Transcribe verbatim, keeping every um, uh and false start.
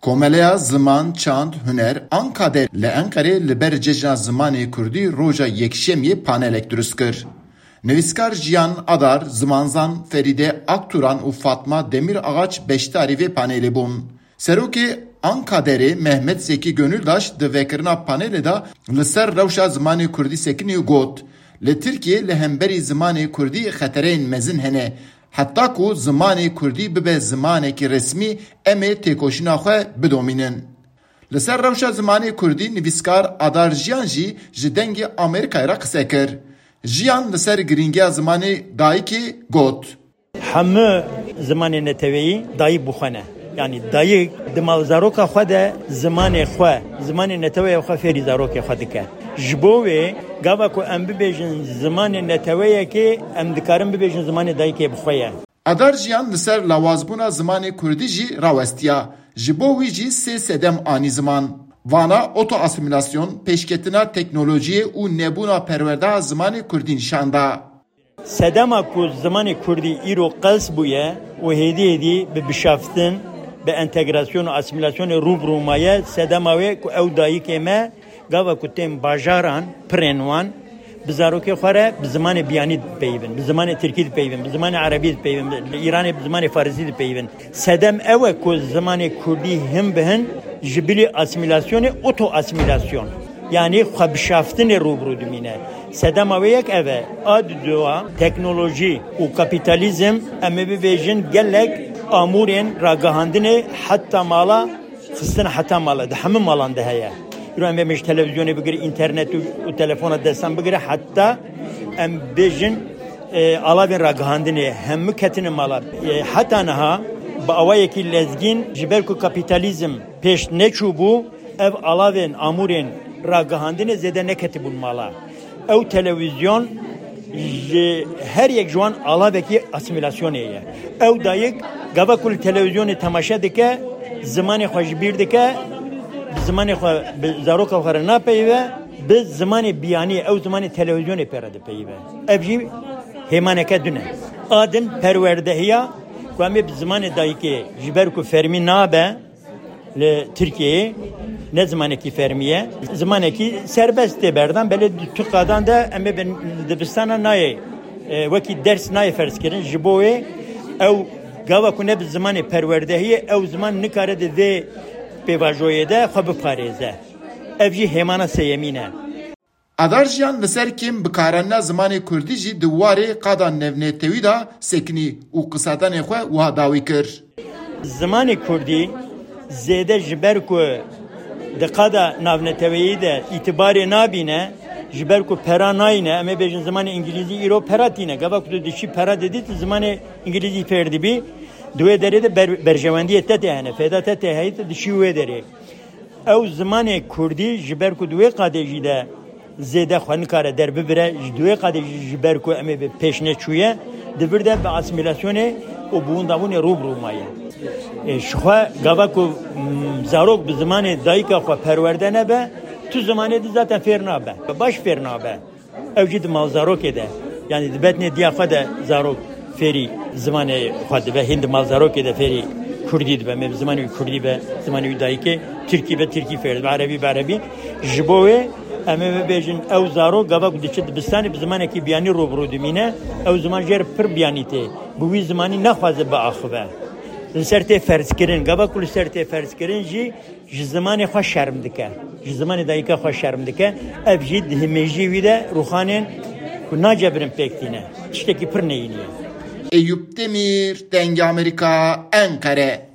Komeleya Ziman, Çand, Huner, Ankader li Enqerê li ber Cejna Zimanê Kurdî roja Yekşemiyê panelek dirust kir. Nivîskar Jiyan Adar, zimanzan Ferîde Akturan û Fatma Demir Ağaç beşdarî vê panelê bûn. Serokê Ankaderê Mehmet Zeki Gönüldaş di vekirina panelê de li ser rewşa zimanê kurdî sekinî û got, Li Tirkiyê li hemberî zimanê kurdî xetereyên mezin hene. Heta ku zimanê kurdî bibe zimanekî resmî, em ê têkoşîna xwe bidomînin. Li ser rewşa zimanê kurdî nivîskar Adar Jiyan jî ji Dengê Amerîkayê re qise kir. Jiyan li ser girîngiya zimanê dayikê got. Hemû zimanê neteweyî dayik bi xwe ne. Yanî dayik di malzaroka xwe de zimanê xwe, zimanê neteweya xwe fêrî zarokê xwe dike. Ji bo wê gava ku em bibêjin zimanê neteweyekê, em dikarin bibêjin zimanê dayikê bi xwe ye. Adar Jiyan li ser lawazbûna zimanê kurdî jî rawestiya. Ji bo wî jî sê sedem anî ziman. Vana otoasîmîlasyon, pêşketina teknolojiyê û nebûna perwerdeya zimanê kurdî nîşan da. Sedema ku zimanê kurdî îro qels bûye û hêdî hêdî bi bişaftin, bi entegrasyon û asîmîlasyonê rû bi rû maye, sedema wê ku ew dayikê me gava ku tên bajaran, pirên wan, bi zarokê xwe re bi zimanê biyanî dipeyivin, bi zimanê tirkî dipeyivin, bi zimanê erebî dipeyivin, li Îranê bi zimanê farisî dipeyivin. Sedem ew e ku zimanê kurdî hin bi hin ji bilî asîmîlasyonê, oto-asîmîlasyon, yanî xwebişaftinê rû bi rû dimîne. Sedema wê yek ev e. A didoa teknolojî û kapîtalîzm, em ê bibêjin gelek amûrên ragihandinê heta mala, xistin heta mala, di hemû malan de heye. Îro em ê ji televîzyonê bigire, înternet û, û telefona destan bigire heta em bêjin, e, alavên ragihandinê hemû ketine mala. E, heta niha bi awayekî lezgîn ji ber ku kapîtalîzm pêş neçûbû, ev alavên amûrên ragihandinê zêde neketibûn mala. Ew televîzyon ji her yek ji wan alavekî asîmîlasyonê ye. Ew dayik gava ku li televîzyonê temaşe dike, zimanê xwe ji bîr dike, bi zimanê xwe, bi zaroka xwe re napeyive, bi zimanê biyanî, ew zimanê televîzyonê pê re dipeyive. Ev jî hêmaneke din e. A din perwerdehiya ku em ê bi zimanê dayikê, ji ber ku fermî nabe, li Tirkiyeyê ne zimanekî fermî ye. Zimanekî serbest tê berdan, belê di tu qadan de em ê bin dibistana nayê, e, wekî ders nayê ferzkirin. Ji bo wê ew gava ku ne bi zimanê perwerdehiyê, ew ziman nikare di vê pêvajoyê de xwe biparêze. Ev jî hêmana sêyemîn e. Adar Jiyan li ser kêm bikarandina zimanê kurdî jî di warê qada navnetewî de sekinî û qisedanê xwe wiha dawî kir. Zimanê kurdî zêde ji ber ku di qada navneteweyî de îtibarê nabîne, ji ber ku pera nayîne, em ê bêjin zimanê îngilîzî îro pera tîne. Gava ku tu diçî pera didî, tu zimanê îngilîzî fêr dibî. Di wê derê de ber-, berjewendiyê te tê hene, fêda te tê heyî, tu diçî wê derê. Ew zimanê kurdî ji ber ku di wê qadê jî de zêde xwe nikare derbibire, ji di wê qadê jî ji ber ku em ê bi pêş neçûye, di vir de bi asîmîlasyonê û bi windabûnê rû bi rû maye. E, ji xwe gava ku, mm, zarok bi zimanê dayika xwe perwerde nebe, tu zimanê di zaten fêr nabe, baş fêr nabe. Ew jî di malzarokê de, yanî di betnê diya xwe de zarok fêrî zimanê xwe dibe, hîn di malzarokê de fêrî kurdî dibe. Me bi zimanê wî kurdî be, zimanê wî dayikê, tirkî be, tirkî fêr dibe, erebî be, erebî. Ji bo wê em ê bibêjin, ew zarok gava ku diçe dibistanê bi zimanekî biyanî rû bi rû dimîne, ew ziman jê re pir biyanî tê. Bi wî zimanî naxwaze biaxive. Li ser tê ferzkirin. Gava ku li ser tê ferzkirin jî ji zimanê xwe şerm dike. Ji zimanê dayika xwe şerm dike. Ev jî di himêjiyê wî de rûxanên ku nacebirin pêk tîne. Tiştekî pir neyînî ye. Eyûp Demîr, Dengê Amerîka, Enqere.